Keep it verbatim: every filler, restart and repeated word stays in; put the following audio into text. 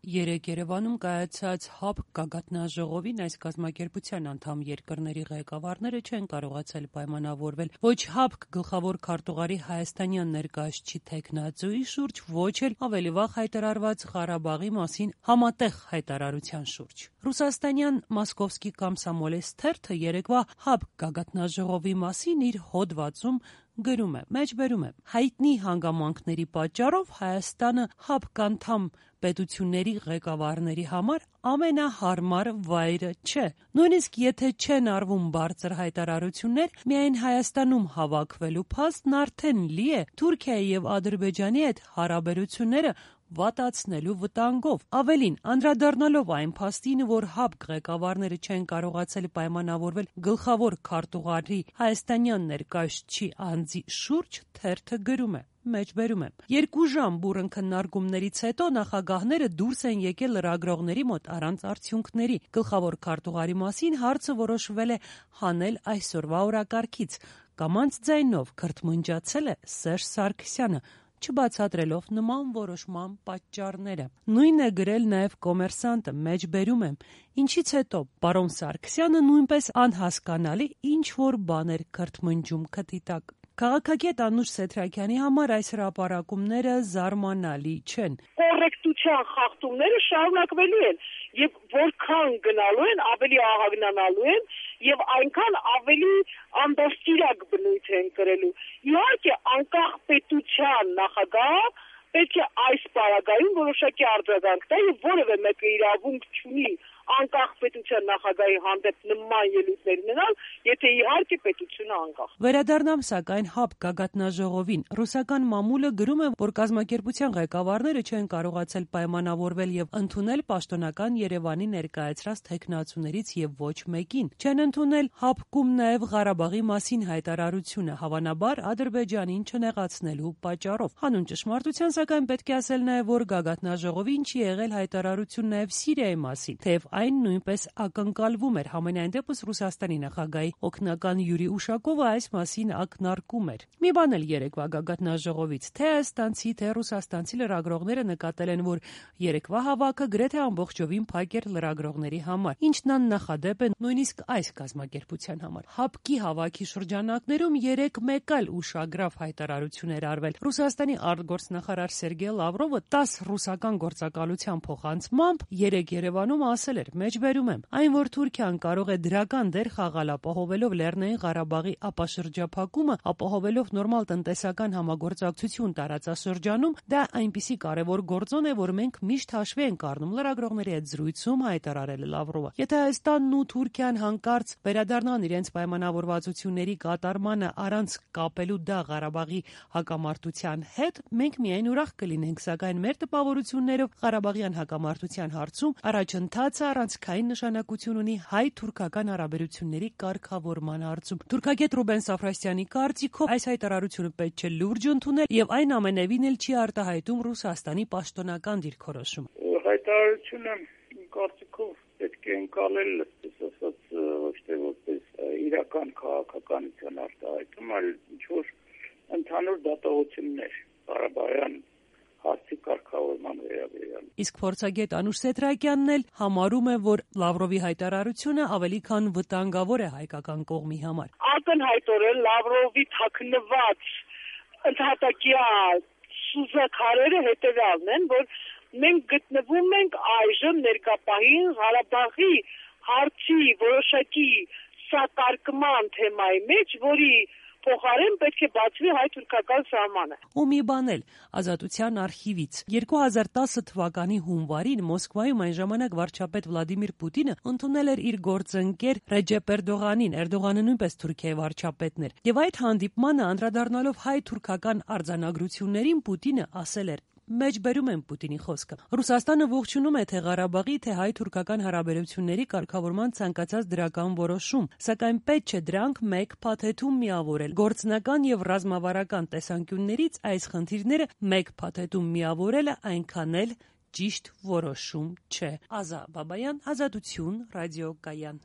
Երեկ Երևանում կայացած ՀԱԲ գագաթնաժողովին այս կազմակերպության անդամ երկրների ղեկավարները չեն կարողացել պայմանավորվել ոչ ՀԱԲ գլխավոր քարտուղարի հայաստանյան ներկայացուցիչ թեկնածուի շուրջ, ոչ էլ ավելի վաղ հայտարարված Ղարաբաղի մասին համատեղ հայտարարության շուրջ։ Ռուսաստանյան «Մոսկովսկի կոմսոմոլец» թերթը երեկվա ՀԱԲ գագաթնաժողովի մասին իր հոդվածում գրում է. մեջբերում է. հայտնի հանգամանքների պատճառով Հայաստանը ՀԱԲ անդամ պետությունների ղեկավարների համար ամենահարմար վայրը չէ։ Նույնիսկ եթե չեն արվում բարձր հայտարարություններ, միայն Հայաստանում հավաքվելու փաստն արդեն լի է Թուրքիայի եւ Ադրբեջանի հետ հարաբերությունները վատացնելու վտանգով։ Ավելին, անդրադառնալով այն փաստին, որ ՀԱԲ ղեկավարները չեն կարողացել պայմանավորվել գլխավոր քարտուղարի հայաստանյան ներկայացուցչի անձի շուրջ, թերթը գրում է. մեջբերում է. երկու ժամ բուռն քննարկումներից հետո նախագահները դուրս են եկել լրագրողների մոտ առանց արդյունքների։ Գլխավոր քարտուղարի մասին հարցը որոշվել է հանել այսօրվա օրակարգից։ Կամանց ձայնով քրթմնջացել է Սերժ Սարգսյանը, չբացատրելով նման որոշման պատճառները։ Նույնն է գրել նաև Կոմերսանտը, մեջբերում եմ. ինչից հետո պարոն Սարգսյանը նույնպես անհասկանալի ինչ-որ բան էր քրթմնջում քթի տակ։ Քաղաքագետ Անուշ Սեթրակյանի համար այս հրապարակումները զարմանալի չեն։ Կոռեկտության խախտումները շարունակվելու են եւ որքան գնալու են, ավելի ահագնանալու են եւ այնքան ավելի անդաստիրակ բնույթ են կրելու։ Իհարկե, անկախ պետության նախագահ պետք է այս պարագայում որոշակի արձագանք տա եւ որևէ մեկը իրավունք չունի անկախ պետության նախագահի հանդեպ նման ելույթներ ունենալ, եթե իհարկե պետությունը անկախ։ Վերադառնամ սակայն ՀԱԲ գագաթնաժողովին։ Ռուսական մամուլը գրում է, որ կազմակերպության ղեկավարները չեն կարողացել պայմանավորվել եւ ընդունել պաշտոնական Երևանի ներկայացրած թեկնածուներից եւ ոչ մեկին։ Չեն ընդունել ՀԱԲ-ում նաեւ Ղարաբաղի մասին հայտարարությունը, հավանաբար Ադրբեջանին չնեղացնելու պատճառով։ Հանուն ճշմարտության, սակայն պետք է ասել նաեւ, որ գագաթնաժողովին չի եղել հայտարարություն նաեւ Սիրիայի մասին, թեև այն նույնպես ակնկալվում էր։ Համենայն դեպս Ռուսաստանի նախագահի օգնական Յուրի Ուշակովը այս մասին ակնարկում էր։ Մի բան էլ երեկվա գագաթնաժողովից, թե հայաստանցի, թե ռուսաստանցի լրագրողները նկատել են, որ երեկվա հավաքը գրեթե ամբողջովին փակ էր լրագրողների համար, ինչն աննախադեպ է նույնիսկ այս կազմակերպության համար։ ՀԱԲ-ի հավաքի շրջանակներում երեք մեկ այլ ուշագրավ հայտարարություն էր արվել։ Ռուսաստանի արտգործնախարար Սերգեյ Լավրովը տաս ռուսական գործակալության փոխանցմամբ երեք Երևանում ասել էր, մեջբերում եմ, այն, որ Թուրքիան կարող է դրական դեր խաղալ ապահովելով Լեռնային Ղարաբաղի ապաշրջափակումը, ապահովելով նորմալ տնտեսական համագործակցություն տարածաշրջանում, դա այնպիսի կարևոր գործոն է, որ մենք միշտ հաշվի ենք առնում, լրագրողների հետ զրույցում հայտարարել է Լավրովը։ Եթե Հայաստանն ու Թուրքիան հանկարծ վերադառնան իրենց պայմանավորվածությունների կատարմանը առանց կապելու դա Ղարաբաղի հակամարտության հետ, մենք միայն ուրախ կլինենք, սակայն մեր տպավորություններով Ղարաբաղյան հակամարտության հարցում առաջընթացը առանցքային նշանակություն ունի հայ-թուրքական հարաբերությունների կարգավորման հարցում։ Թուրքագետ Ռուբեն Սաֆրասյանի կարծիքով այս հայտարարությունը պետք չէ լուրջ ընդունել եւ այն ամենևին էլ չի արտահայտում Ռուսաստանի պաշտոնական դիրքորոշումը։ Հայտարարությունը կարծիքով պետք է ընկալել ասած ոչ թե որպես իրական քաղաքականության արտահայտում, այլ ինչ-որ ընդհանուր դատողություններ Ղարաբաղյան հարցի կարգավորման վերաբերյալ։ Իսկ փորձագետ Անուշ Սեթրակյանն էլ համարում է, որ Լավրովի հայտարարությունը ավելի քան վտանգավոր է հայկական կողմի համար։ Ակնհայտորեն Լավրովի թաքնված ընդհատակյա սուզակարերը հետևյալն են, որ մենք գտնվում ենք այժմ ներկապահին Ղարաբաղի հարցի որոշակի սակարկման թեմայի մեջ, որի փոխարեն պետք է բացվի հայ-թուրքական սահմանը։ Ու մի բան էլ Ազատության արխիվից երկու հազար տասը թվականի հունվարին Մոսկվայում այն ժամանակ վարչապետ Վլադիմիր Պուտինը ընդունել էր իր գործընկեր Ռեջեփ Էրդողանին, Էրդողանը նույնպես Թուրքիայի վարչապետն էր։ Եվ այդ հանդիպմանը անդրադառնալով հայ-թուրքական արձանագրություններին Պուտինը ասել էր. Մեջբերում եմ Պուտինի խոսքը։ Ռուսաստանը ողջունում է թե Ղարաբաղի, թե հայ-թուրքական հարաբերությունների կարգավորման ցանկացած դրական որոշում, սակայն պետք չէ դրանք մեկ փաթեթում միավորել։ Գործնական եւ ռազմավարական տեսանկյուններից այս խնդիրները մեկ փաթեթում միավորելը այնքան էլ ճիշտ որոշում չէ։ Ազա Բաբայան, Ազատություն, ռադիոկայան։